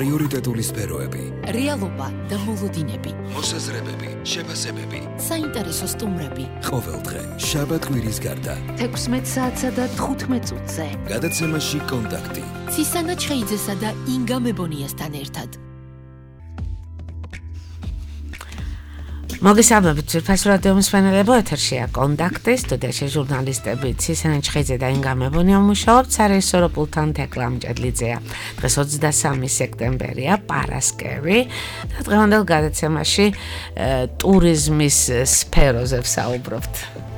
პრიორიტეტული სფეროები, რეალობა და მოლოდინები, მოსაზრებები, შეფასებები, საინტერესო სტუმრები. ყოველდღე, შაბათ-კვირის გარდა, 16 საათსა და 15 წუთზე. გადაცემაში კონტაქტი. ცისანა ჩხეიძესა და ინგა მებონიასთან ერთად. მოგესალმებით, ძვირფას რადიო მსმენელებო, ეთერშია კონტაქტი, სტუდიაში ჟურნალისტები ცისანა ჩხეიძე და ინგა მებონია მუშაობთ, სარეჟისორო პულტთან თეკლა მჭედლიძეა. დღეს 23 სექტემბერია, პარასკევი და დღევანდელ გადაცემაში ტურიზმის სფეროზე ვსაუბრობთ.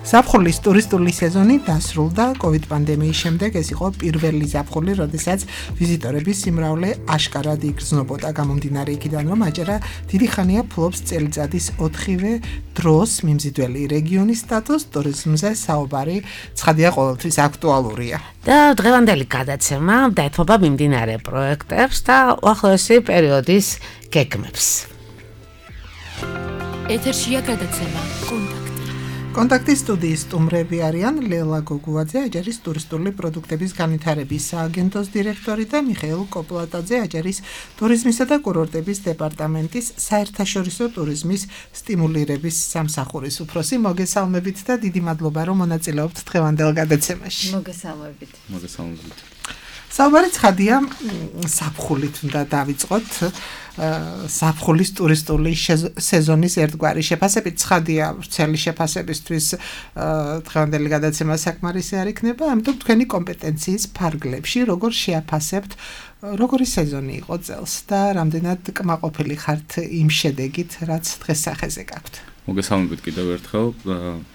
ზაფხულის ტურისტული სეზონი დასრულდა COVID პანდემიის შემდეგ. ეს იყო პირველი ზაფხული, როდესაც ვიზიტორების სიმრავლე აშკარად იგრძნობოდა. გამომდინარე იქიდან, რომ აჯერა დიდი ხანია ფლობს წელიწადის 4-ვე დროს მიმზიდველი რეგიონის სტატუსს, ტურიზმზე საუბარი ცხადია ყოველთვის აქტუალურია. და დღევანდელი გადაცემა დაეთმობა მიმდინარე პროექტებს და უახლოესი პერიოდის გეგმებს. ეთერშია გადაცემა კონტაქტი. კონტაქტის სტუდიის სტუმრები არიან ლელა გოგუაძე, აჯარის ტურისტული პროდუქტების განვითარების სააგენტოს დირექტორი და მიხეილ კოპლატაძე, აჯარის ტურიზმისა და კურორტების დეპარტამენტის საერთაშორისო ტურიზმის სტიმულირების სამსახურის უფროსი. მოგესალმებით და დიდი მადლობა, რომ მონაწილეობთ დღევანდელ გადაცემაში. მოგესალმებით. საუბარი ცხადია, ზაფხულით უნდა დავიწყოთ. ზაფხულის ტურისტული სეზონის ერთგვარი შეფასებით ცხადია, ვრცელი შეფასებისთვის დღევანდელი გადაცემა საკმარისი არ იქნება, ამიტომ თქვენი კომპეტენციის ფარგლებში როგორ შეაფასებთ, როგორი სეზონი იყო წელს და რამდენად კმაყოფილი ხართ იმ შედეგით, რაც დღეს სახეზე გაქვთ. მოგესალმებით კიდევ ერთხელ.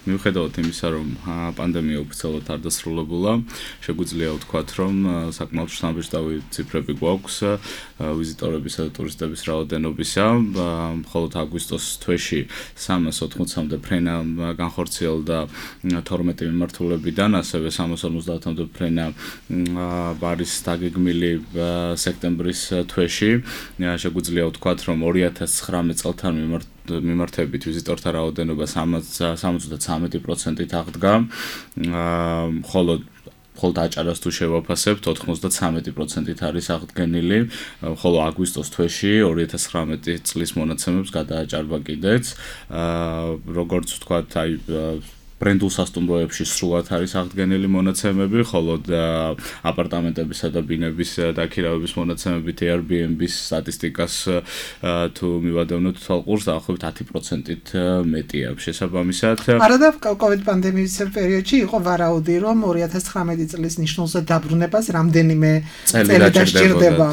მიუხედავად იმისა, რომ პანდემია ოფიციალურად არ დასრულებულა, შეგვიძლია ვთქვათ, რომ საკმაოდ შთამბეჭდავი ციფრები გვაქვს ვიზიტორებისა და ტურისტების რაოდენობისა. მხოლოდ აგვისტოს თვეში 380-მდე ფრენა განხორციელდა 12 მიმართულებიდან, ასევე 350-მდე ფრენა არის დაგეგმილი სექტემბრის თვეში. შეგვიძლია ვთქვათ, რომ 2019 წელთან მიმართებით ვიზიტორთა რაოდენობა 73%-ით აღდგა, მხოლოდ აჭარას თუ შევაფასებთ 93%-ით არის აღდგენილი, ხოლო აგვისტოს თვეში 2019 წლის მონაცემებს გადააჭარბა კიდეც. როგორც ვთქვათ, ბრენდულ სასტუმროებში სრულად არის აღდგენილი მონაცემები, ხოლო აპარტამენტებისა და ბინების დაქირავების მონაცემებით Airbnb-ის სტატისტიკას თუ მივადევნოთ თვალყურს, დაახლოებით 10%-ით მეტია შესაბამისად. არადა COVID პანდემიის პერიოდში იყო ვარაუდი, რომ 2019 წლის ნიშნულზე დაბრუნებას რამდენიმე წელი დასჭირდება.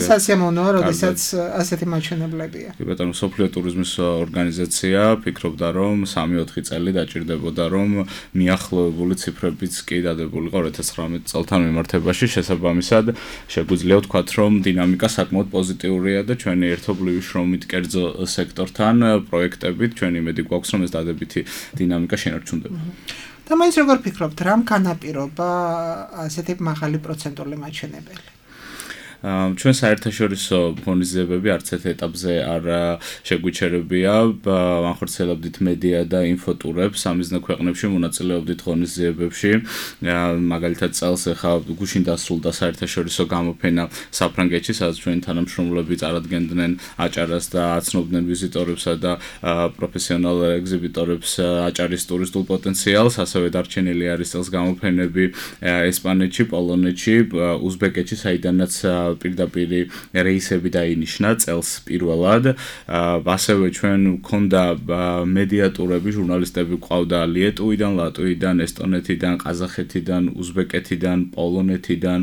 სასიამოვნოა, როდესაც ასეთი მაჩვენებლებია. კი ბატონო, მსოფლიო ტურიზმის ორგანიზაცია ფიქრობდა, რომ 3-4 წელი დაჭირდება, რომ მიახლოებული ციფრებიც კი დადებულიყო 2019 წელთან მიმართებაში. შესაბამისად, შეგვიძლია ვთქვათ, რომ დინამიკა საკმაოდ პოზიტიურია და ჩვენი ერთობლივი შრომით კერძო სექტორთან პროექტებით ჩვენი იმედი გვაქვს, რომ ეს დადებითი დინამიკა შენარჩუნდება. და მაინც როგორ ფიქრობთ, რამ განაპირობა ასეთი მაღალი პროცენტული მაჩვენებელი? ჩვენ საერთაშორისო ღონისძიებები არც ერთ ეტაპზე არ შეგვიჩერებია. ვახორციელებდით მედია და ინფოტურებს სამიზნე ქვეყნებში, მონაწილეობდით ღონისძიებებში. მაგალითად, წელს ახლა გუშინ დასრულდა საერთაშორისო გამოფენა საფრანგეთში, სადაც ჩვენი თანამშრომლები წარადგენდნენ აჭარას და აცნობდნენ ვიზიტორებსა და პროფესიონალ ეგზიბიტორებს აჭარის ტურისტულ პოტენციალს. ასევე დარჩენილი არის წელს გამოფენები ესპანეთში, პოლონეთში, უზბეკეთში, საიდანაც პირდაპირ რეისები დაინიშნა წელს პირველად. ასევე ჩვენ გვქონდა მედიატურები, ჟურნალისტები გვყავდა ლიეტუვიდან, ლატვიიდან, ესტონეთიდან, ყაზახეთიდან, უზბეკეთიდან, პოლონეთიდან,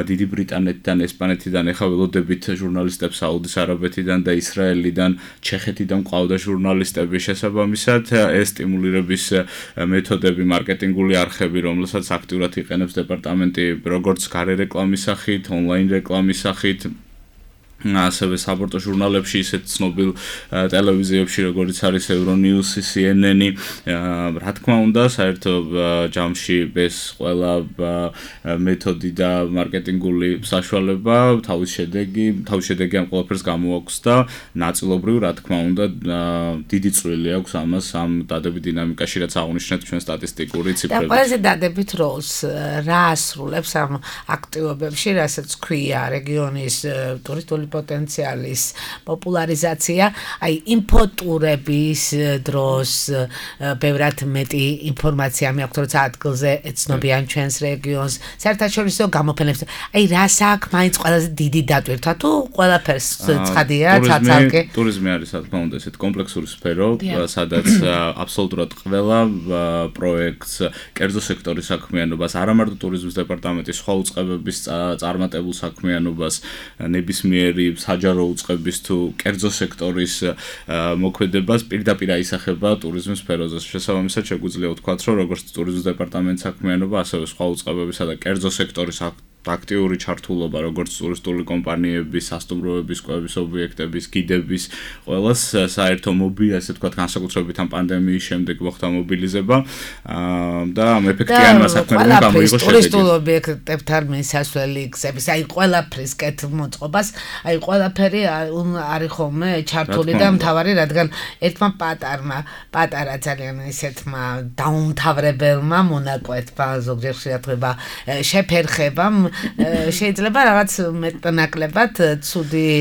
დიდი ბრიტანეთიდან, ესპანეთიდან. ეხლა ველოდებით ჟურნალისტებს საუდის არაბეთიდან და ისრაელიდან, ჩეხეთიდან გვყავდა ჟურნალისტები. შესაბამისად, ეს სტიმულირების მეთოდები, მარკეტინგული არხები, რომელსაც აქტიურად იყენებს დეპარტამენტი, როგორც გარე რეკლამის სახით, ონლაინ რეკლამის სახით, ასევე საბორტო ჟურნალებში, ისეთ ცნობილ ტელევიზიებში, როგორიც არის Euronews, CNN-ი, რა თქმა უნდა, საერთო ჯამში ეს ყველა მეთოდი და მარკეტინგული საშუალება თავის შედეგი ამ ყველაფერს გამოაქვს და ნაწილობრივ, რა თქმა უნდა, დიდი წვლილი აქვს ამას ამ დადებით დინამიკაში, რაც აღნიშნეთ ჩვენ სტატისტიკური ციფრებით. და ყველაზე დადებით როლს რა ასრულებს ამ აქტივობებში, რასაც ქვია რეგიონის ტურისტული პოტენციალის პოპულარიზაცია, აი ინფოტურების დროს ბევრად მეტი ინფორმაცია მიაქვს, როცა ადგილზე ეცნობიან ჩვენს რეგიონს, საერთაშორისო გამოფენებს. აი რას აქვს მაინც ყველაზე დიდი დატვირთვა თუ ყველაფერს ცხადია, ცალკე? ტურიზმი არის, რა თქმა უნდა, ესეთ კომპლექსური სფერო, სადაც აბსოლუტურად ყველა პროექტს, კერძო სექტორის საქმიანობას, არა მარტო ტურიზმის დეპარტამენტის სხვა უწყებების წარმატებულ საქმიანობას, ნებისმიერი საჯარო უწყების თუ კერძო სექტორის მოქმედებას პირდაპირ აისახება ტურიზმის სფეროზე. შესაბამისად, შეგვიძლია ვთქვათ, რომ როგორც ტურიზმის დეპარტამენტის საქმიანობა, ასევე სხვა უწყებებისა და კერძო სექტორის აქტიური ჩართულობა, როგორც ტურისტული კომპანიების, სასტუმროების, კვების ობიექტების, გიდების, ყველას საერთო ასე ვთქვათ, განსაკუთრებით ამ პანდემიის შემდეგ მოხდა მობილიზება და ამ ეფექტიანმა საქმიანობამ გამოიღო შედეგი. ტურისტულ ობიექტებთან მისასვლელი გზების, აი ყველაფრის კეთილმოწყობას, აი ყველაფერი არის ხოლმე ჩართული და მთავარი, რადგან ერთმა პატარა ძალიან ისეთმა დაუმთავრებელმა მონაკვეთმა, ზოგჯერ შეათება შეფერხებამ შეიძლება რაღაც მეტნაკლებად ცუდი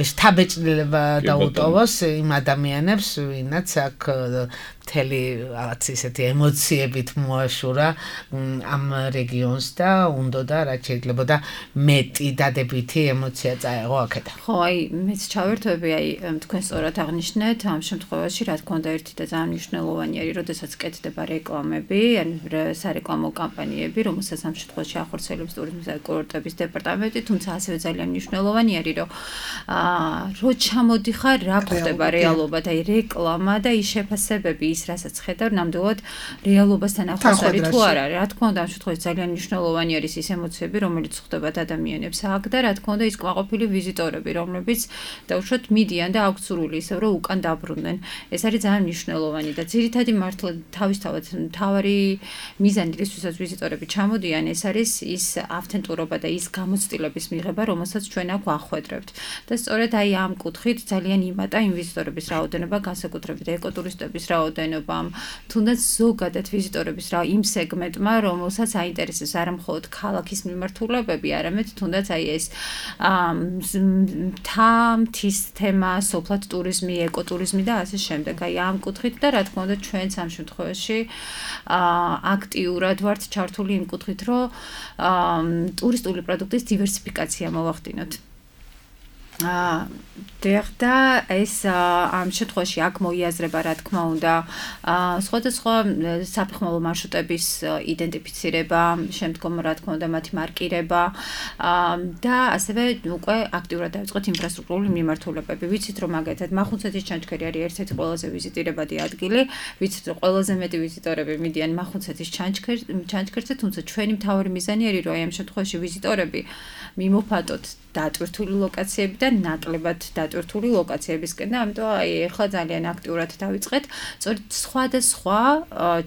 შთაბეჭდილება დაუტოვოს იმ ადამიანებს, ვინაც აქ მთელი რაღაც ისეთი ემოციებით მოაშურა ამ რეგიონს და უნდოდა რაც შეიძლებოდა მეტი დადებითი ემოცია წაეღო აქედან. ხო, აი მეც ჩავერთვები, აი თქვენ სწორად აღნიშნეთ, ამ შემთხვევაში რა თქმა უნდა ერთი და ძალიან მნიშვნელოვანი არის, როდესაც კეთდება რეკლამები, ან სარეკლამო კამპანიები, რომელსაც ამ შემთხვევაში ახორციელებს ტურიზმის და კურორტების დეპარტამენტი, თუმცა ასევე ძალიან მნიშვნელოვანი არის, რომ ჩამოდიხარ, რა ხდება რეალობად, აი რეკლამა და ის შეფასებები, ის რასაც ხედავ, ნამდვილად რეალობასთან ახლოს არის თუ არა. რა თქმა უნდა, ამ შემთხვევაში ძალიან მნიშვნელოვანი არის ის ემოციები, რომელიც ხვდებათ ადამიანებს აქ და რა თქმა უნდა ის კმაყოფილი ვიზიტორები, რომლებიც დაუშვათ მიდიან და აქვთ სურვილი ისევ რომ უკან დაბრუნდნენ. ეს არის ძალიან მნიშვნელოვანი და ძირითადი მართლა თავისთავად მთავარი მიზანი, რისთვისაც ვიზიტორები ჩამოდიან, ეს არის ის ავთენტურობა და ის გამოცდილების მიღება, რომელსაც ჩვენ აქ ვახვედრებთ. და სწორედ აი ამ კუთხით ძალიან იმატა იმ ვიზიტორების რაოდენობა, განსაკუთრებით ეკოტურისტების რაოდენობა, თუნდაც ზოგადად ვიზიტორების იმ სეგმენტმა, რომელსაც აინტერესებს არა მხოლოდ ქალაქის მიმართულებები, არამედ თუნდაც აი ეს მთის თემა, სოფლად ტურიზმი, ეკოტურიზმი და ასე შემდეგ. აი ამ კუთხით და რა თქმა უნდა ჩვენც ამ შემთხვევაში აქტიურად ვართ ჩართული იმ კუთხით, რომ ტურისტული პროდუქტის დივერსიფიკაცია მოვახდინოთ. და ეს ამ შემთხვევაში აქ მოიაზრება რა თქმა უნდა სხვადასხვა საფეხმავლო მარშრუტების იდენტიფიცირება, შემდგომ რა თქმა უნდა მათი მარკირება და ასევე უკვე აქტიურად დავიწყოთ ინფრასტრუქტურული მიმართულებები. ვიცით რომ მაგათად მახუნცეთის ჩანჩქერი არის ერთ-ერთი ყველაზე ვიზიტირებადი ადგილი, ვიცით რომ ყველაზე მეტი ვიზიტორები მიდიან მახუნცეთის ჩანჩქერზე, თუმცა ჩვენი მთავარი მიზანი არის რომ აი ამ შემთხვევაში ვიზიტორები მიმოფატოთ დატვირთული ლოკაციები და ნაკლებად დატვირთული ლოკაციებისკენ და ამიტომ აი ახლა ძალიან აქტიურად დავიწყეთ სწორედ სხვადასხვა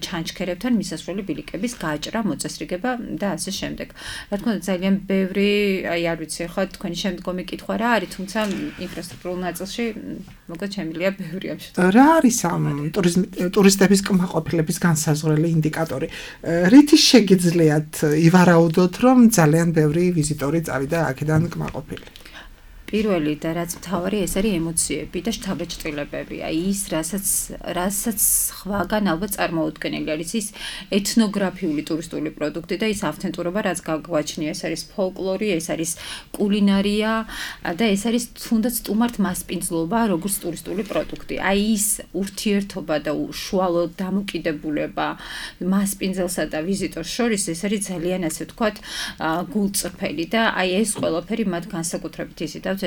ჩანჩქერებთან მისასვლელი ბილიკების გაჭრა, მოწესრიგება და ასე შემდეგ. რა თქმა უნდა ძალიან ბევრი, აი არ ვიცი ახლა თქვენი შემდგომი კითხვა რა არის, თუმცა ინფრასტრუქტურულ ნაწილში მოკლედ შემილია ბევრი ამ შემთხვევაში. რა არის ამ ტურისტების კმაყოფილების განსაზღვრელი ინდიკატორი? რითი შეგიძლიათ ივარაუდოთ, რომ ძალიან ბევრი ვიზიტორი წავიდა აქედან კმაყოფილი? პირველი და რაც მთავარი ეს არის ემოციები და შთაბეჭდილებები. აი ის რასაც სხვაგან ალბათ წარმოუდგენელი არის ის ეთნოგრაფიული ტურისტული პროდუქტი და ის ავთენტურობა რაც გაგვაჩნია, ეს არის ფოლკლორი, ეს არის კულინარია და ეს არის თუნდაც სტუმართ მასპინძლობა როგორც ტურისტული პროდუქტი. აი ის ურთიერთობა და უშუალო დამოკიდებულება მასპინძელსა და ვიზიტორს შორის ეს არის ძალიან ასე ვთქვათ გულწრფელი და აი ეს ყველაფერი მათ განსაკუთრებით იზიდავთ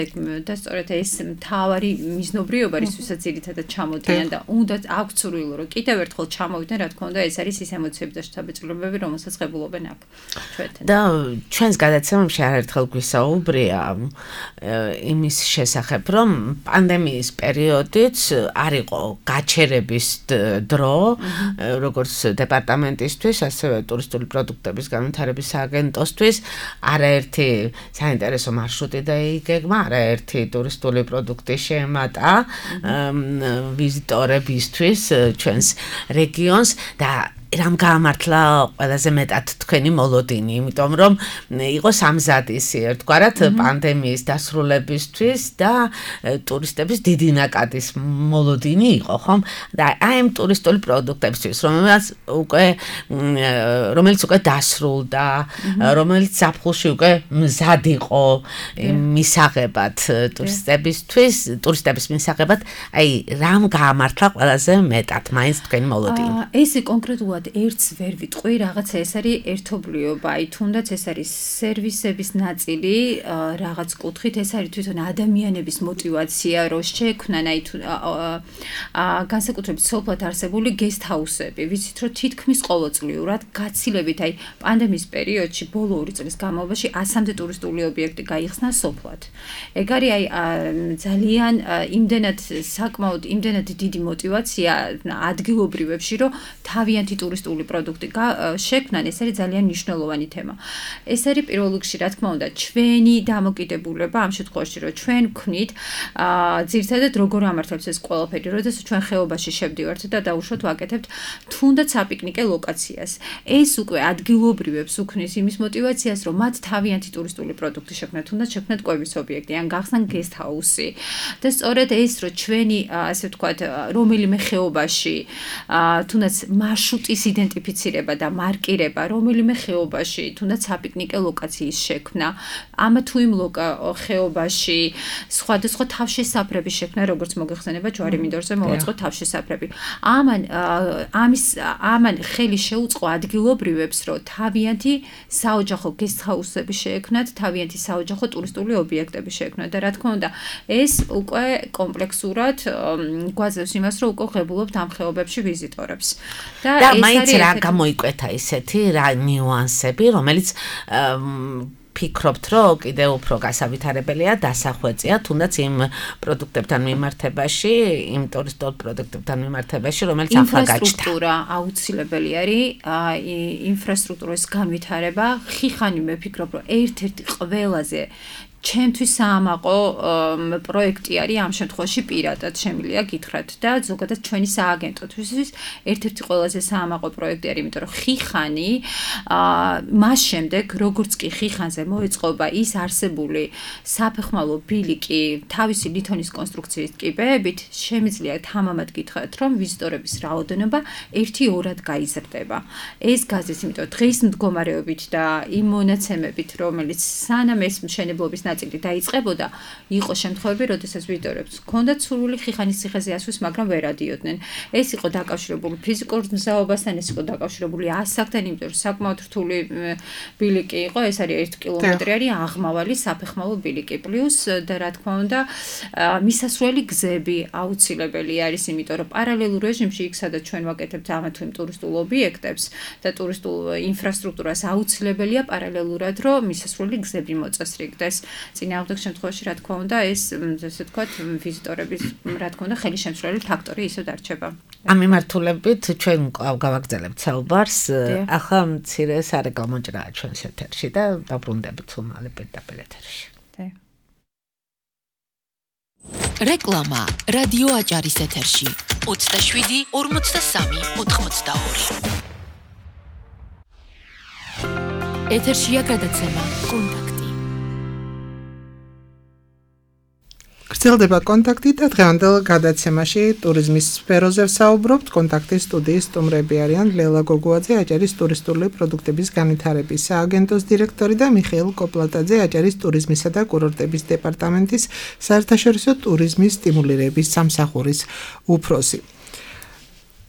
და სწორედ ეს მთავარი მიზნობრიობა რისთვისაც ძირითადად ჩამოდიან და უნდა აქვთ სურვილი რომ კიდევ ერთხელ ჩამოვიდნენ, რა თქმა უნდა, ეს არის ის ემოციები და შთაბეჭდილებები, რომელსაც ღებულობენ აქ ჩვენთან. და ჩვენს გადაცემებში არაერთხელ გვისაუბრია იმის შესახებ, რომ პანდემიის პერიოდიც არ იყო გაჩერების დრო, როგორც დეპარტამენტისთვის, ასევე ტურისტული პროდუქტების განვითარების სააგენტოსთვის, არაერთი საინტერესო მარშრუტი დაიგეგმა, არაერთი ტურისტული პროდუქტი შეემატა ვიზიტორებისთვის ჩვენს რეგიონს და რამ გაამართლა ყველაზე მეტად თქვენი მოლოდინი, იმიტომ რომ იყო სამზადისი ერთგვარად პანდემიის დასრულებისთვის და ტურისტების დიდი ნაკადის მოლოდინი იყო, ხომ? და აი ამ ტურისტული პროდუქტებისთვის, რომელიც უკვე დასრულდა, რომელიც ზაფხულში უკვე მზად იყო მისაღებად ტურისტების მისაღებად, აი რამ გაამართლა ყველაზე მეტად მაინც თქვენი მოლოდინი? ეს კონკრეტულად ერთს ვერ ვიტყვი, რაღაცა ეს არის ერთობლიობა, აი თუნდაც ეს არის სერვისების ნაწილი, რაღაც კუთხით ეს არის თვითონ ადამიანების мотиваცია, რომ შექმნან აი განსაკუთრებით სოფლად არსებული გესტ-ჰაუსები, ვიცით რომ თითქმის ყოველწლიურად გაცილებით აი პანდემიის პერიოდში ბოლო 2 წლის განმავლობაში 100-მდე ტურისტული ობიექტი გაიხსნა სოფლად. ეგ არის აი ძალიან საკმაოდ იმდენად დიდი мотиваცია ადგილობრივებში, რომ თავიანთი ტურისტული პროდუქტი შექმნან, ეს არის ძალიან მნიშვნელოვანი თემა. ეს არის პირველ რიგში, რა თქმა უნდა, ჩვენი დამოკიდებულება ამ შემთხვევაში, რომ ჩვენ ვქნით ძირითადად როგორ ამართებს ეს ყველაფერი, როდესაც ჩვენ ხეობაში შევდივართ და დაუშვათ ვაკეთებთ თუნდაც საპიკნიკე ლოკაციას. ეს უკვე ადგილობრივებს უქმნის იმის мотиваციას, რომ მათ თავიანთი ტურისტული პროდუქტი შექმნათ, თუნდაც შექმნათ კვების ობიექტი, ან გახსნან გესტ-ჰაუსი. და სწორედ ეს, რომ ჩვენი, ასე ვთქვათ, რომელიმე ხეობაში თუნდაც მარშრუტის იდენტიფიცირება და მარკირება, რომელიმე ხეობაში, თუნდაც საპიკნიკე ლოკაციის შექმნა, ამა თუ იმ ხეობაში სხვადასხვა თავშესაფრების შექმნა, როგორც მოგეხსენება ჯვარი მინდორზე მოვაწყო თავშესაფრები. ამან ხელი შეუწყო ადგილობრივებს, რომ თავიანთი საოჯახო გესტ-ჰაუსები შეექმნათ, თავიანთი საოჯახო ტურისტული ობიექტები შეექმნათ და რა თქმა უნდა, ეს უკვე კომპლექსურად გვაძლევს იმას, რომ უკვე ღებულობთ ამ ხეობებში ვიზიტორებს. და მაინც რა გამოიკვეთა ისეთი რა ნიუანსები, რომელიც ფიქრობთ, რომ კიდევ უფრო გასავითარებელია დასახვეწია, თუნდაც იმ პროდუქტებთან მიმართებაში, იმ ტურისტულ პროდუქტებთან მიმართებაში, რომელიც ახლა გაჩნდა. ინფრასტრუქტურა აუცილებელი არის, ინფრასტრუქტურის განვითარება, ხიხანი მე ვფიქრობ, რომ ერთ-ერთი ყველაზე ჩემთვის საამაყო პროექტი არის ამ შემთხვევაში პირადად შემიძლია გითხრათ და ზოგადად ჩვენი სააგენტოთვის ერთ-ერთი ყველაზე საამაყო პროექტი არის, იმიტომ რომ ხიხანი მას შემდეგ როგორც კი ხიხანზე მოეწყობა ის არსებული საფეხმავლო ბილიკი თავისი ლითონის კონსტრუქციის ტკიპებით, შემიძლია თამამად გითხრათ, რომ ვიზიტორების რაოდენობა 1-2-რად გაიზრდება. ეს გაზრდის, იმიტომ დღის მდგომარეობით და იმ მონაცემებით, რომელიც სანამ ეს მშენებლობის ნაწილი დაიწყებოდა, იყო შემთხვევები, როდესაც ვიზიტორებს ჰქონდათ სურვილი ხიხანის ციხეზე ასვლის, მაგრამ ვერ ადიოდნენ. ეს იყო დაკავშირებული ფიზიკურ მზაობასთან, ეს იყო დაკავშირებული ასაკთან, იმიტომ რომ საკმაოდ რთული ბილიკი იყო, ეს არის 1 კილომეტრი არის აღმავალი საფეხმავლო ბილიკი, პლუს და რა თქმა უნდა, მისასვლელი გზები აუცილებელი არის, იმიტომ რომ პარალელურ რეჟიმში იქ სადაც ჩვენ ვაკეთებთ ამა თუ იმ ტურისტულ ობიექტებს და ტურისტულ ინფრასტრუქტურას აუცილებელია პარალელურად, რომ მისასვლელი გზები მოწესრიგდეს. წინააღმდეგ შემთხვევაში, რა თქმა უნდა, ეს ესე ვთქვათ, ვიზიტორების, რა თქმა უნდა, ხელისშემცვლელი ფაქტორი ისევ დარჩება. ამ მიმართულებით ჩვენ გავაგრძელებთ საუბარს. ახლა მცირე სარეკლამო ჭრაა ჩვენს ეთერში და დაბრუნდებით უმალე პირდაპირ ეთერში. რეკლამა რადიო აჭარის ეთერში 27 43 82. ეთერშია გადაცემა კონტაქტი. გრძელდება კონტაქტი და დღევანდელ გადაცემაში ტურიზმის სფეროზე ვსაუბრობთ. კონტაქტის სტუდიის სტუმრები არიან ლელა გოგუაძე, აჭარის ტურისტული პროდუქტების განვითარების სააგენტოს დირექტორი და მიხეილ კოპლატაძე, აჭარის ტურიზმისა და კურორტების დეპარტამენტის საერთაშორისო ტურიზმის სტიმულირების სამსახურის უფროსი.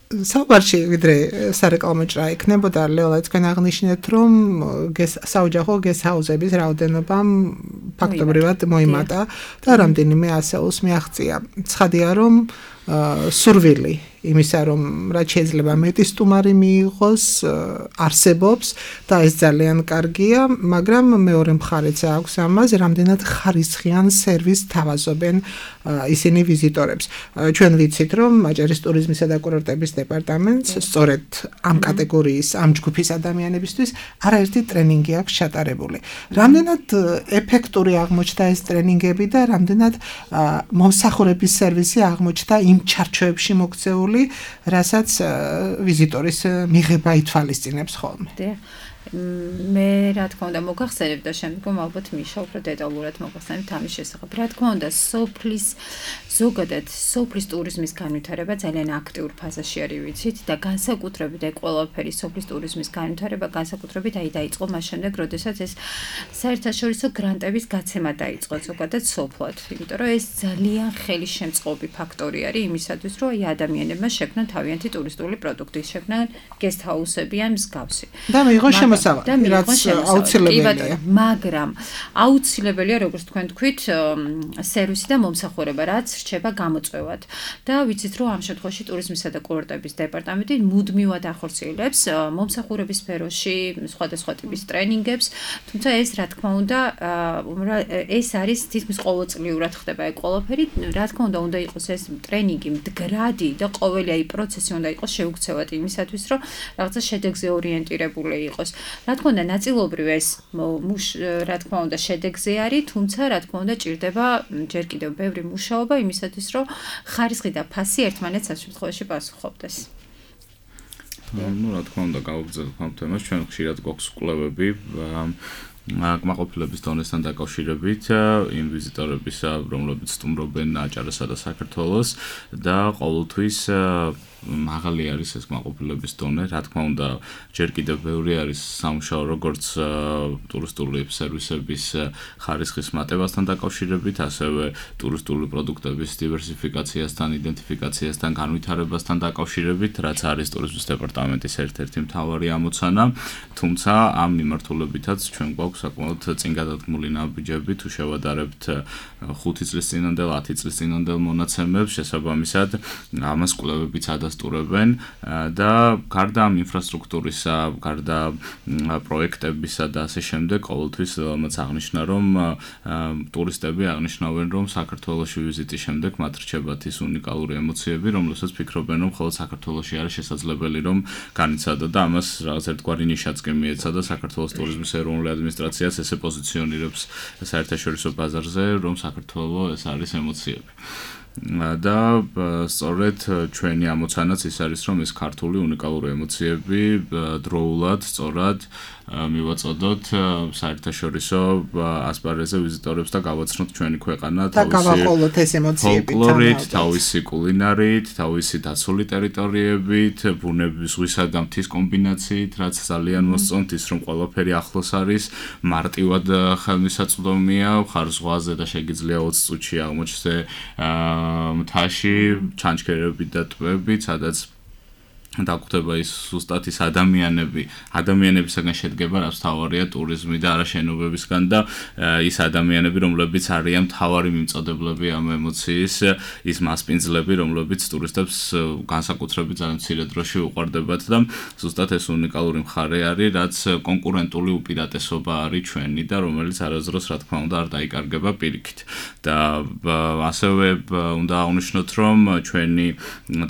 საუბარში ვიდრე სარეკლამო ჭრა იქნებოდა, ლელა თქვენ აღნიშნეთ, რომ საოჯახო გესტ-ჰაუსების რაოდენობა ფაქტობრივად მოიმატა და რამდენიმე ასეულს მიაღწია. ცხადია, რომ სურვილი იმისა, რომ რაც შეიძლება მეტი სტუმარი მიიღოს, არსებობს და ეს ძალიან კარგია, მაგრამ მეორე მხარეც აქვს ამას, რამდენად ხარისხიან სერვისს თავაზობენ ისინი ვიზიტორებს. ჩვენ ვიცით, რომ აჭარის ტურიზმისა და კურორტების დეპარტამენტს სწორედ ამ კატეგორიის, ამ ჯგუფის ადამიანებისთვის არაერთი ტრენინგი აქვს ჩატარებული. რამდენად ეფექტური აღმოჩნდა ეს ტრენინგები და რამდენად მომსახურების სერვისი აღმოჩნდა იმ ჩარჩოებში მოქცეული, რასაც ვიზიტორის მიღება ითვალისწინებს ხოლმე. მე რა თქმა უნდა მოგახსენებ და შემდგომ ალბათ მიშა უფრო დეტალურად მოგახსენებთ ამის შესახებ. რა თქმა უნდა, ზოგადად სოფლის ტურიზმის განვითარება ძალიან აქტიურ ფაზაში არის, ვიცით, და განსაკუთრებით ეს ყველაფერი სოფლის ტურიზმის განვითარება განსაკუთრებით დაიწყო მას შემდეგ, როდესაც ეს საერთაშორისო გრანტების გაცემა დაიწყო ზოგადად სოფლად. იმიტომ რომ ეს ძალიან ხელისშემწყობი ფაქტორი არის იმისათვის, რომ აი ადამიანებმა შექმნან თავიანთი ტურისტული პროდუქტი, შექმნან guest house-ები ან მსგავსი. და მიიღო შემოსავალი, რაც აუცილებელია. მაგრამ აუცილებელია, როგორც თქვენ თქვით, სერვისი და მომსახურება, რაც რჩება გამოწვევად. და ვიცით, რომ ამ შემთხვევაში ტურიზმისა და კურორტების დეპარტამენტი მუდმივად ახორციელებს მომსახურების სფეროში სხვადასხვა ტიპის ტრენინგებს, თუმცა ეს რა თქმა უნდა, ეს არის თითქმის ყოველწლიურად ხდება ეს ყველაფერი. რა თქმა უნდა იყოს ეს ტრენინგი მდგრადი და ყოველი აი პროცესი უნდა იყოს შეუქცევად იმისათვის, რომ რაღაცა შედეგზე ორიენტირებული იყოს. რა თქმა უნდა, ნაწილობრივ ეს რა თქმა უნდა შედეგზე არის, თუმცა რა თქმა უნდა ჭირდება ჯერ კიდევ ბევრი მუშაობა იმისათვის, რომ ხარისხი და ფასი ერთმანეთს ამ შემთხვევაში პასუხობდეს. რა თქმა უნდა, გავაგრძელებთ ამ თემას, ჩვენ ხშირად გვაქვს კვლევები კმაყოფილების დონესთან დაკავშირებით იმ ვიზიტორებისა, რომლებიც სტუმრობენ აჭარასა და საქართველოს და ყოველთვის მაღალი არის ეს კმაყოფილების დონე. რა თქმა უნდა, ჯერ კიდევ ბევრი არის სამუშაო როგორც ტურისტული სერვისების ხარისხის მატებასთან დაკავშირებით, ასევე ტურისტული პროდუქტების დივერსიფიკაციასთან, იდენტიფიკაციასთან, განვითარებასთან დაკავშირებით, რაც არის ტურიზმის დეპარტამენტის ერთ-ერთი მთავარი ამოცანა. თუმცა ამ მიმართულებითაც ჩვენ გვაქვს საკმაოდ წინ გადადგმული ნაბიჯები, თუ შევადარებთ 5 წლის წინანდელ, 10 წლის წინანდელ მონაცემებს, შესაბამისად ამას კვლევებიც ადასტურებენ და გარდა ამ ინფრასტრუქტურისა, გარდა პროექტებისა და ასე შემდეგ, ყოველთვის მაც აღნიშნა, რომ ტურისტები აღნიშნავენ, რომ საქართველოში ვიზიტის შემდეგ მათ რჩებათ ის უნიკალური ემოციები, რომლებსაც ფიქრობენ, რომ მხოლოდ საქართველოში არის შესაძლებელი, რომ განიცადო და ამას რაღაც ერთგვარი ნიშაც კი მიეცადა საქართველოს ტურიზმის ეროვნული ადმინისტრაციაც ესე პოზიციონირებს საერთაშორისო ბაზარზე, რომ საქართველოს ეს არის ემოციები. და სწორედ ჩვენი ამოცანაც ის არის, რომ ეს ქართული უნიკალური ემოციები დროულად სწორად მივაწოდოთ საერთაშორისო ასპარეზზე ვიზიტორებს და გავაცნოთ ჩვენი ქვეყანა ფოლკლორით, თავისი კულინარით, თავისი დაცული ტერიტორიებით, ბუნების ზღვისა და მთის კომბინაციით, რაც ძალიან მოსწონთ ის, რომ ყველაფერი ახლოს არის, მარტივად ხელმისაწვდომია, ხარ ზღვაზე და შეგიძლია 20 წუთში აღმოჩნდე მთაში, ჩანჩქერებით და ტბებით, სადაც დაგვხვდება ის ზუსტად ის ადამიანებისგან შედგება, რაც თავარია ტურიზმი და არა შენობებისგან და ის ადამიანები, რომლებიც არიან მთავარი მიმწოდებლები ამ ემოციის, ის მასპინძლები, რომლებიც ტურისტებს განსაკუთრებით ძალიან მცირე დროში უყვარდებათ და ზუსტად ეს უნიკალური მხარე არის, რაც კონკურენტული უპირატესობა არის ჩვენი და რომელიც არასდროს რა თქმა უნდა არ დაიკარგება პირიქით. და ასევე უნდა აღნიშნოთ, რომ ჩვენი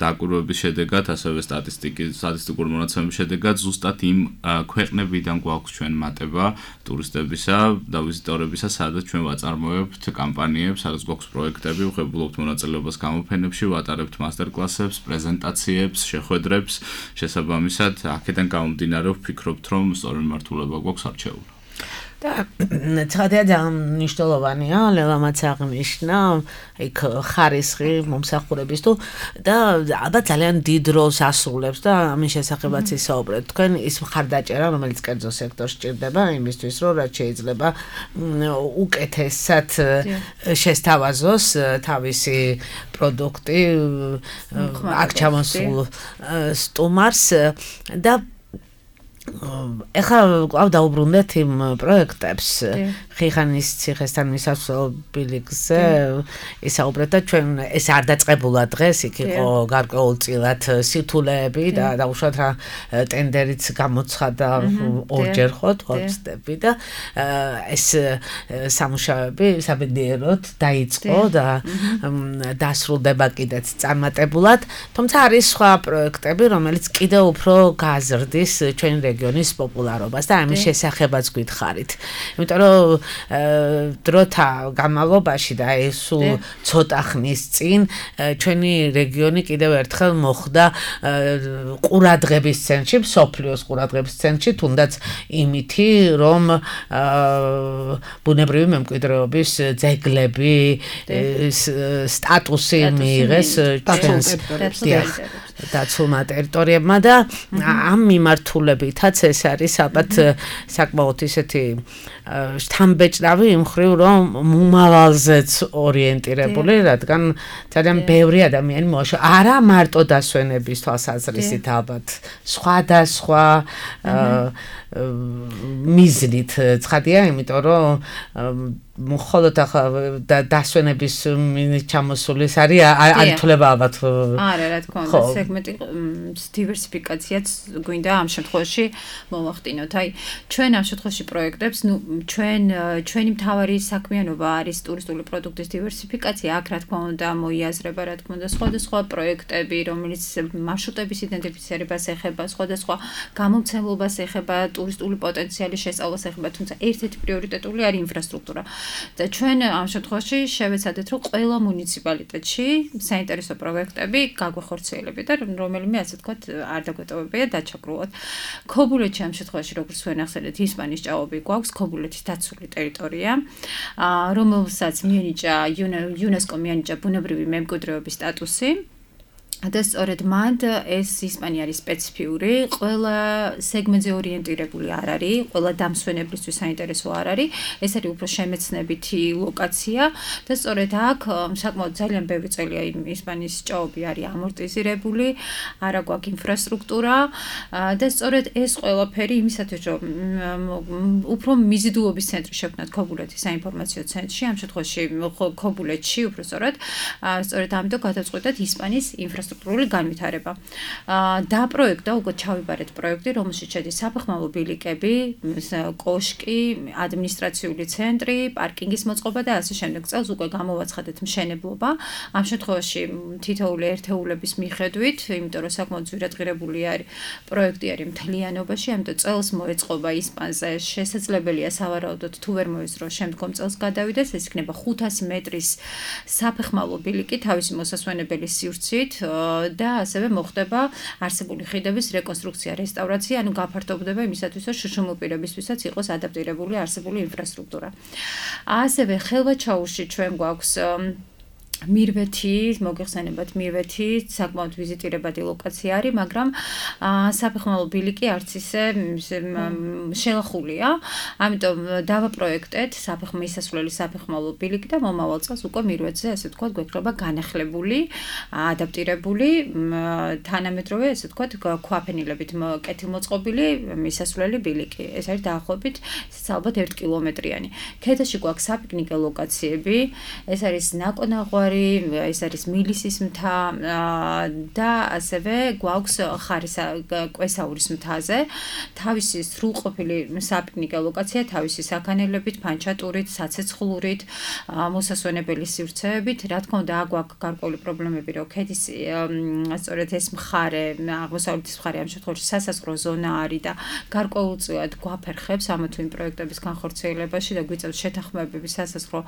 დაკვირვების შედეგად, ასევე სტატისტიკურ მონაცემების შედეგად ზუსტად იმ ქვეყნებიდან გვაქვს ჩვენ მატება ტურისტებისა და ვიზიტორებისა, სადაც ჩვენ ვაწარმოებთ კამპანიებს, სადაც გვაქვს პროექტები, ვღებულობთ მონაწილეობას გამოფენებში, ვატარებთ მასტერკლასებს, პრეზენტაციებს, შეხვედრებს, შესაბამისად, აქედან გამომდინარე ვფიქრობთ, რომ სწორი მიმართულება გვაქვს არჩეული. და ცხადია ძალიან მნიშვნელოვანია, ლევამაც აღნიშნა, იქ ხარისხი მომსახურების თუ და ალბათ ძალიან დიდ როლს ასრულებს და ამის შესახებაც ისაუბრეთ. თქვენ ის მხარდაჭერა, რომელიც კერძო სექტორს ჭირდება იმისთვის, რომ რაც შეიძლება უკეთესად შესთავაზოს თავისი პროდუქტი აქ ჩამოსულ სტუმარს და ეხლა კვლავ დაუბრუნდეთ იმ პროექტებს. ხიხანის ციხესთან მისასვლელი გზა ისაუბრეთ და ჩვენ ეს არ დაწყებულა დღეს, იქ იყო გარკვეულწილად სირთულეები და უშუალოდ რა ტენდერიც გამოცხადა ორჯერ ხო თორცდები და ეს სამუშაოები საბედნიეროდ დაიწყო და დასრულდება კიდეც წარმატებულად, თუმცა არის სხვა პროექტები, რომელიც კიდევ უფრო გააზრდის ჩვენი რეგიონის პოპულარობას და ამის შესახებაც გითხარით. იმიტომ რომ დროთა განმავლობაში და ეს ცოტა ხნის წინ ჩვენი რეგიონი კიდევ ერთხელ მოხვდა ყურადღების ცენტრში, მსოფლიოს ყურადღების ცენტრში, თუნდაც იმითი, რომ ბუნებრივი მემკვიდრეობის ძეგლები სტატუსი მიიღეს ჩვენს დაცულმა ტერიტორიებმა და ამ მიმართულებითაც ეს არის ალბათ საკმაოდ ისეთი შთამბეჭდავი იმ მხრივ, რომ მომავალზეც ორიენტირებული, რადგან ძალიან ბევრი ადამიანი მოაშორა, არა მარტო დასვენების თვალსაზრისით ალბათ, სხვადასხვა მიზნით ცხადია, იმიტომ რომ მხოლოდ დასვენების ჩამოსulis არის ანთლება ალბათ. არა, რა თქმა უნდა, სეგმენტი დივერსიფიკაციაც გვინდა ამ შემთხვევაში მოვახდინოთ. აი, ჩვენ ამ შემთხვევაში პროექტებს, ჩვენი მთავარი საქმიანობა არის ტურისტული პროდუქტის დივერსიფიკაცია. აქ რა თქმა უნდა მოიაზრება, რა თქმა უნდა, სხვადასხვა პროექტები, რომელიც მარშრუტების იდენტიფიცირებას ეხება, სხვადასხვა გამომცემლობას ეხება, ტურისტული პოტენციალის შესწავლას ეხება, თუმცა ერთ-ერთი პრიორიტეტული არის ინფრასტრუქტურა. და ჩვენ ამ შემთხვევაში შევეცადეთ, რომ ყველა მუნიციპალიტეტში საინტერესო პროექტები გაგვეხორციელებით და რომელიმე ასე ვთქვათ არ დაგვეტოვებია დაჩაგრულად. ქობულეთში ამ შემთხვევაში როგორც თქვენ ახსენეთ, ისპანიის ჭაობი გვაქვს, ქობულეთის დაცული ტერიტორია, რომელსაც მიენიჭა UNESCO მიენიჭა ბუნებრივი მემკვიდრეობის სტატუსი. და სწორედ მანდ ეს ისპანია არის სპეციფიური, ყველა სეგმენტზე ორიენტირებული არ არის, ყველა დამსვენებლისთვის საინტერესო არ არის, ეს არის უფრო შემეცნებითი ლოკაცია და სწორედ აქ საკმაოდ ძალიან ბევრი წელია ისპანიის ჭაობი არის ამორტიზირებული, არა გვაქვს ინფრასტრუქტურა და სწორედ ეს ყველაფერი იმისათვის, რომ უფრო მიზიდულობის ცენტრი შევქმნათ ქობულეთის საინფორმაციო ცენტრში, ამ შემთხვევაში ქობულეთში უფრო სწორედ ამიტომ გადაწყვეტეთ ისპანიის ინფრასტრუქტურული განვითარება. დააპროექტა უკვე ჩავიბარეთ პროექტი, რომელშიც შედის საფეხმავლო ბილიკები, კოშკი, ადმინისტრაციული ცენტრი, პარკინგის მოწყობა და ასე შემდეგ. წელს უკვე გამოვაცხადეთ მშენებლობა. ამ შემთხვევაში თითოეული ერთეულების მიხედვით, იმიტომ რომ საკმაოდ ძვირადღირებული არის პროექტი არის მთლიანობაში, ამიტომ წელს მოეწყობა ისპანზე. შესაძლებელია სავარაუდოდ თუ ვერ მოესწრო შემდგომ წელს გადავიდეს, ეს იქნება 500 მეტრის საფეხმავლო ბილიკი თავისი მოსასვენებელი სივრცით და ასევე მოხდება არსებული ხიდების რეკონსტრუქცია, რესტავრაცია, ანუ გაფართოვდება იმისათვის, რომ შუშუმილ პირებისთვისაც იყოს ადაპტირებული არსებული ინფრასტრუქტურა. ასევე ხელვაჩაუში ჩვენ გვაქვს მირვეთი, მოგეხსენებათ მირვეთი, საკმაოდ ვიზიტირებადი ლოკაცია არის, მაგრამ საფეხმავლო ბილიკი არც ისე შელახულია. ამიტომ დავაპროექტეთ მისასვლელი საფეხმავლო ბილიკი და მომავალ წელს უკვე მირვეთზე, ასე ვთქვათ, გვექნება განახლებული, ადაპტირებული, თანამედროვე, ასე ვთქვათ, ქვაფენილებით კეთილმოწყობილი მისასვლელი ბილიკი. ეს არის დაახლოებით, ესეც ალბათ 1 კილომეტრიანი. ქედაში გვაქვს საპიკნიკე ლოკაციები, ეს არის ნაკონაღვარი, ეს არის მილისის მთა და ასევე გვაქვს კვესაურის მთაზე თავისი სრულყოფილი საპიკნიკე ლოკაცია, თავისი საქანელებით, ფანჩატურით, საცეცხლურით, მოსასვენებელი სივრცეებით. რა თქმა უნდა, გვაქვს გარკვეული პრობლემები, რომ ქედის სწორედ ეს მხარე, აღმოსავლეთის მხარე ამ შემთხვევაში სასაზღვრო ზონა არის და გარკვეულწილად გვაფერხებს ამა თუ იმ პროექტების განხორციელებაში და გვიწევს შეთანხმებები სასაზღვრო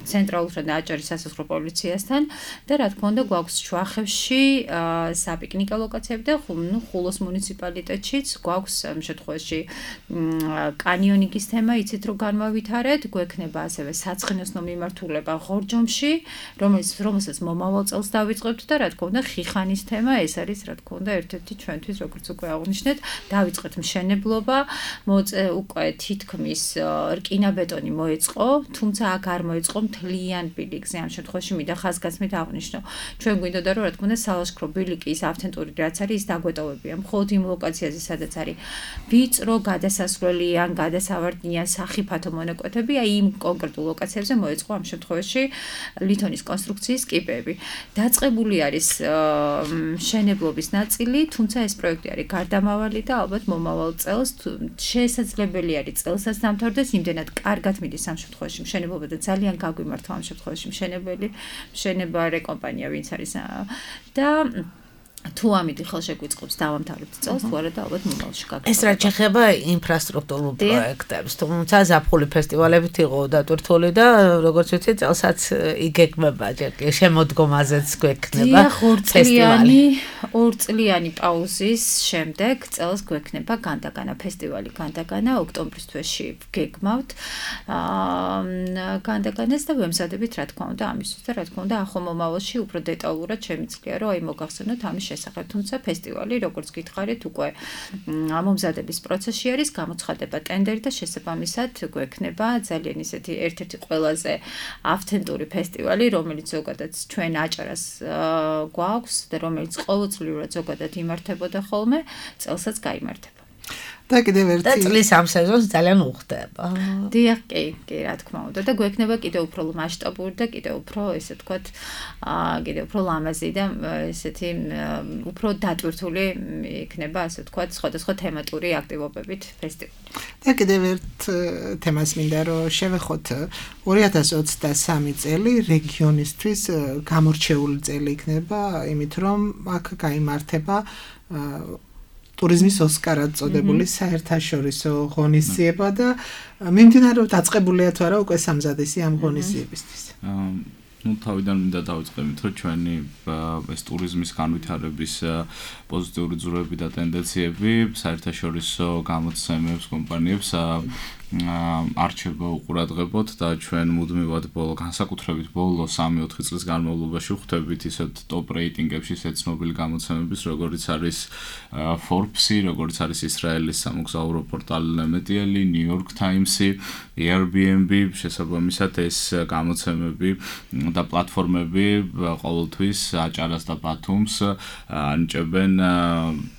ცენტრალურ და სასაზღვრო პოლიციასთან და რა თქმა უნდა გვაქვს ჩუახევში საპიკნიკე ლოკაციები და ხულოს მუნიციპალიტეტშიც გვაქვს ამ შემთხვევაში კანიონინგის თემა, იცით რომ განვავითარეთ, გვექნება ასევე საცხენოსნო მიმართულება ღორჯომში, რომელსაც მომავალ წელს დავიწყებთ და რა თქმა უნდა ხიხანის თემა, ეს არის რა თქმა უნდა ერთ-ერთი ჩვენთვის როგორც უკვე აღნიშნეთ, დავიწყეთ მშენებლობა, უკვე თითქმის რკინაბეტონი მოეწყო, თუმცა აქ არ მოეწყო მთლიან ბილიკს ასპექტზე ამ შემთხვევაში მინდა ხაზგასმით აღნიშნო. ჩვენ გვინდოდა რომ რა თქმა უნდა სალაშქრო ბილიკის ავთენტური რაც არის ის დაგვეტოვებია მხოლოდ იმ ლოკაციაზე სადაც არის ვიწრო გადასასვლელი ან გადასავარდნიან სახიფათო მონაკვეთები აი იმ კონკრეტულ ლოკაციებზე მოეწყო ამ შემთხვევაში ლითონის კონსტრუქციის კიბეები. დაწყებული არის მშენებლობის ნაწილი, თუმცა ეს პროექტი არის გარდამავალი და ალბათ მომავალ წელს შესაძლებელი არის წელსაც დამთავრდეს, იმდენად კარგად მიდის ამ შემთხვევაში მშენებლობა და ძალიან გაგვიმართვა ამ შემთხვევაში მშენებარე კომპანია ვინც არის და თუ ამით ხელშეგვიწყობს დავამთავრებთ წელს, თუ არა და ალბათ მომავალში გაგრძელდება. ეს რაც შეეხება ინფრასტრუქტურულ პროექტებს, თუმცა ზაფხული ფესტივალებით იყო დატვირთული და როგორც ვიცი, წელსაც იგეგმება ჯერ შემოდგომაზეც გვექნება ფესტივალი. ორწლიანი პაუზის შემდეგ წელს გვექნება განდაგანა ფესტივალი, განდაგანა ოქტომბრის თვეში გეგმავთ განდაგანას და ვემზადებით რა თქმა უნდა ამისთვის და რა თქმა უნდა ახო მომავალში უფრო დეტალურად შემიძლია რომ აი მოგახსენოთ ამის შესახებ, თუმცა ფესტივალი, როგორც გითხარით, უკვე ამომზადების პროცესში არის, გამოცხადება ტენდერი და შესაბამისად გვექნება ძალიან ისეთი ერთ-ერთი ყველაზე ავთენტური ფესტივალი, რომელიც ზოგადად ჩვენ აჭარას გვაქვს და რომელიც ყოველწლიურად ზოგადად იმართებოდა ხოლმე, წელსაც გაიმართება. და კიდევ ერთი და წლის ამ სეზონს ძალიან უხდება. დიახ, კი, რა თქმა უნდა და გვექნება კიდევ უფრო მასშტაბური და კიდევ უფრო ესე ვთქვათ, კიდევ უფრო ლამაზი და ესეთი უფრო დატვირთული იქნება, ასე ვთქვათ, სხვადასხვა თემატური აქტივობებით ფესტივალი. და კიდევ ერთ თემას მინდა რომ შევეხოთ 2023 წელი რეგიონისთვის გამორჩეული წელი იქნება, იმით რომ აქ გაიმართება ტურიზმის ოსკარად წოდებული საერთაშორისო ღონისძიება და მიმდინარეობს დაწყებულია თუ არა უკვე სამზადისი ამ ღონისძიებისთვის. თავიდან მინდა დავიწყებით, რომ ჩვენი ეს ტურიზმის განვითარების პოზიტიური ძროები და ტენდენციები საერთაშორისო გამოცემებს კომპანიებს არჩევა უყურადღებოთ და ჩვენ მუდმივად განსაკუთრებით ბოლო 3-4 წლის განმავლობაში ვხვდებით ისეთ ტოპ რეიტინგებში ისეთ ცნობილი გამოცემების, როგორიც არის Forbes-ი, როგორიც არის ისრაელის სამოგზაურო პორტალი Nemetieli, New York Times-ი, Airbnb, შესაბამისად ეს გამოცემები და პლატფორმები ყოველთვის აჭარას და ბათუმს ანიჭებენ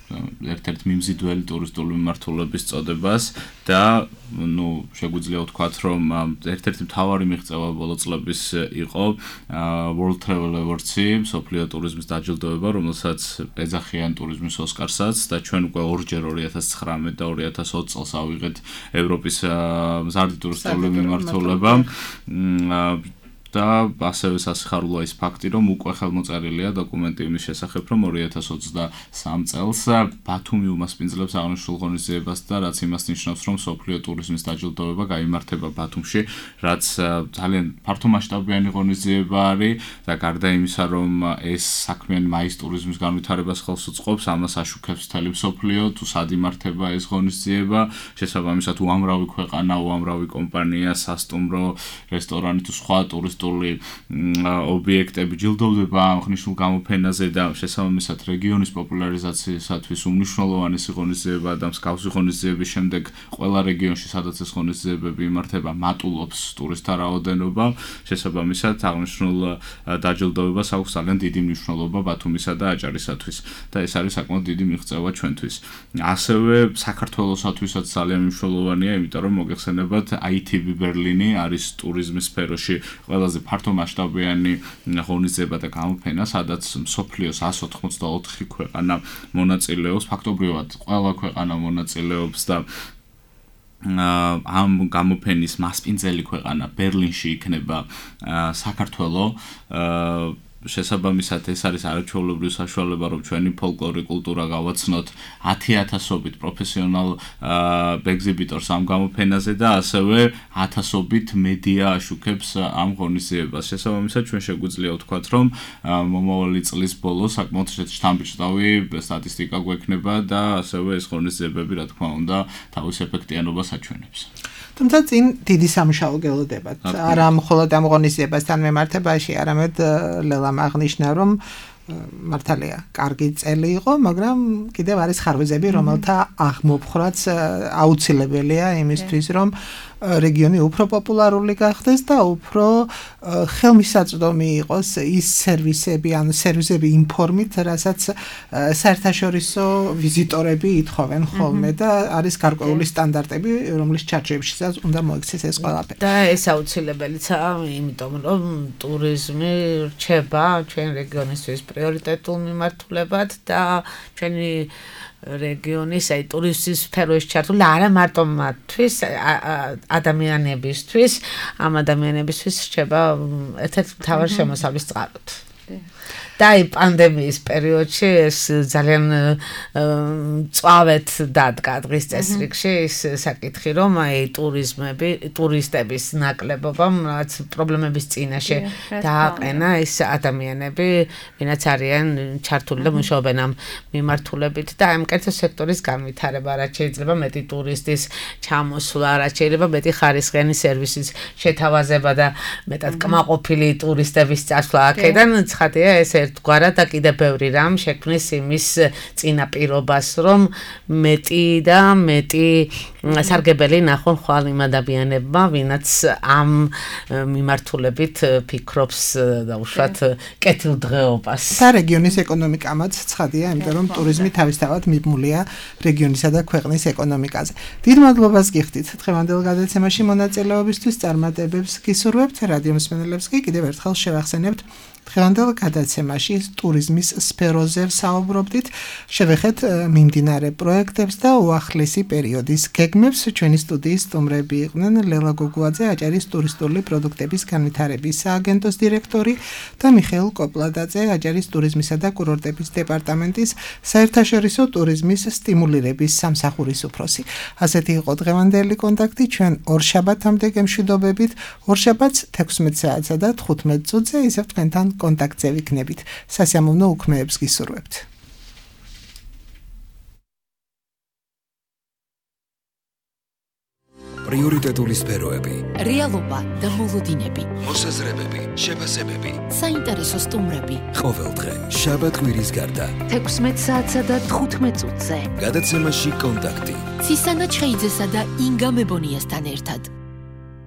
ერთ-ერთ მიმზიდველი ტურისტული მიმართულების წოდებას და შეგვიძლია ვთქვათ, რომ ერთ-ერთი მთავარი მიღწევა ბოლო წლების იყო World Travel Awards-ი, მსოფლიო ტურიზმის დაჯილდოება, რომელსაც ეძახიან ტურიზმის ოსკარსაც და ჩვენ უკვე ორჯერ 2019 და 2020 წელს ავიღეთ ევროპის მზარდი ტურისტული მიმართულება და ასევე სასიხარულოა ის ფაქტი, რომ უკვე ხელმოწერილია დოკუმენტი იმის შესახებ, რომ 2023 წელს ბათუმი უმასპინძლებს აღნიშნულ ღონისძიებას და რაც იმას ნიშნავს, რომ მსოფლიო ტურიზმის დაჯილდოება გაიმართება ბათუმში, რაც ძალიან ფართომასშტაბიანი ღონისძიება არის და გარდა იმისა, რომ ეს საქმიანი მაის ტურიზმის განვითარებას ხელს უწყობს, ამას აშუქებს მთელი მსოფლიო, თუ სად იმართება ეს ღონისძიება, შესაბამისად უამრავი ქვეყანა, უამრავი კომპანია, სასტუმრო, რესტორანი თუ სხვა ტურისტული ობიექტები ჯილდოვდება აღნიშნულ გამოფენაზე და შესაბამისად რეგიონის პოპულარიზაციისათვის უმნიშვნელოვანესი ღონისძიება და მსგავსი ღონისძიების შემდეგ ყველა რეგიონში, სადაც ეს ღონისძიებები იმართება, მატულობს ტურისტთა რაოდენობა, შესაბამისად აღნიშნულ დაჯილდოებას აქვს ძალიან დიდი მნიშვნელობა ბათუმისა და აჭარისათვის და ეს არის საკმაოდ დიდი მიღწევა ჩვენთვის. ასევე საქართველოსათვისაც ძალიან მნიშვნელოვანია, იმიტომ რომ მოგეხსენებათ ITB Berlin-ი არის ტურიზმის სფეროში ყველაზე ფართომასშტაბიანი ღონისძიება და გამოფენა, სადაც მსოფლიოს 184 ქვეყანა მონაწილეობს, ფაქტობრივად ყველა ქვეყანა მონაწილეობს და ამ გამოფენის მასპინძელი ქვეყანა ბერლინში იქნება საქართველო. შესაბამისად ეს არის არაჩვეულებრივი საშუალება, რომ ჩვენი ფოლკლორი კულტურა გავაცნოთ 10,000-ობით პროფესიონალ ექსიბიტორს ამ გამოფენაზე და ასევე 1000-ობით მედია აშუქებს ამ ღონისძიებას. შესაბამისად ჩვენ შეგვიძლია ვთქვათ, რომ მომავალი წლის ბოლოს საკმაოდ შთამბეჭდავი სტატისტიკა გვექნება და ასევე ეს ღონისძიებები, რა თქმა უნდა, თავის ეფექტიანობას აჩვენებს. თუმცა წინ დიდი სამუშაო გელოდებათ. არა მხოლოდ ამ ღონისძიებასთან მიმართებაში, არამედ ლელამ აღნიშნა, რომ მართალია, კარგი წელი იყო, მაგრამ კიდევ არის ხარვეზები, რომელთა აღმოფხრაც აუცილებელია იმისთვის, რომ რეგიონი უფრო პოპულარული გახდეს და უფრო ხელმისაწვდომი იყოს ის სერვისები, ანუ სერვისები იმ ფორმით, რასაც საერთაშორისო ვიზიტორები ითხოვენ ხოლმე და არის გარკვეული სტანდარტები, რომლის ჩარჩოებშიც უნდა მოიქცეს ეს ყველაფერი. და ეს აუცილებელია, იმიტომ რომ ტურიზმი რჩება ჩვენ რეგიონისთვის პრიორიტეტულ მიმართულებად და ჩვენი რეგიონის აი ტურისტის სფეროში ჩართული არა მარტო მათთვის ადამიანებისთვის ამ ადამიანებისთვის რჩება ერთ-ერთ მთავარ შემოსავლის წყაროდ. და აი პანდემიის პერიოდში ეს ძალიან წვავეთ დადგა დღის წესრიგში ის საკითხი რომ აი ტურისტების ნაკლებობამ რაც პრობლემების წინაშე დააყენა ეს ადამიანები ვინაც არიან ჩართული და მუშაობენ ამ მიმართულებით და ამ კერძო სექტორის განვითარება რაც შეიძლება მეტი ტურისტის ჩამოსვლა რაც შეიძლება მეტი ხარისხიანი სერვისის შეთავაზება და მეტად კმაყოფილი ტურისტების წასვლა აქედან ცხადია ეს ერთგვარად და კიდევ ბევრი რამ შექმნის იმის წინაპირობას, რომ მეტი და მეტი სარგებელი ნახონ ხვალ იმ ადამიანებმა, ვინაც ამ მიმართულებით ფიქრობს და უშუალოდ კეთილდღეობას. და რეგიონის ეკონომიკამაც ცხადია, იმიტომ რომ ტურიზმი თავისთავად მიბმულია რეგიონისა და ქვეყნის ეკონომიკაზე. დიდ მადლობას გიხდით დღევანდელ გადაცემაში მონაწილეობისთვის, წარმატებებს გისურვებთ, რადიო მსმენელებს კი კიდევ ერთხელ შევახსენებთ დღევანდელ გადაცემაში ტურიზმის სფეროზე საუბრობდით, შევეხეთ მიმდინარე პროექტებს და უახლესი პერიოდის გეგმებს. ჩვენი სტუდიის სტუმრები იყვნენ ლელა გოგუაძე, აჭარის ტურისტული პროდუქტების განვითარების სააგენტოს დირექტორი და მიხეილ კოპლადაძე, აჭარის ტურიზმისა და კურორტების დეპარტამენტის საერთაშორისო ტურიზმის სტიმულირების სამსახურის უფროსი. ასეთი იყო დღევანდელი კონტაქტი. ჩვენ ორშაბათამდე გემშვიდობებით, ორშაბათს 16 საათსა და 15 წუთზე ისევ თქვენთან კონტაქტზე ვიქნებით. სასიამოვნო უქმეებს გისურვებთ. პრიორიტეტული სფეროები, რეალობა და მოლოდინები, მოსაზრებები, შეფასებები, საინტერესო სტუმრები. ყოველდღე შაბათ კვირის გარდა 16 საათსა და 15 წუთზე. გადაცემაში კონტაქტი. ცისანა ჩხეიძესა და ინგა მებონიასთან ერთად.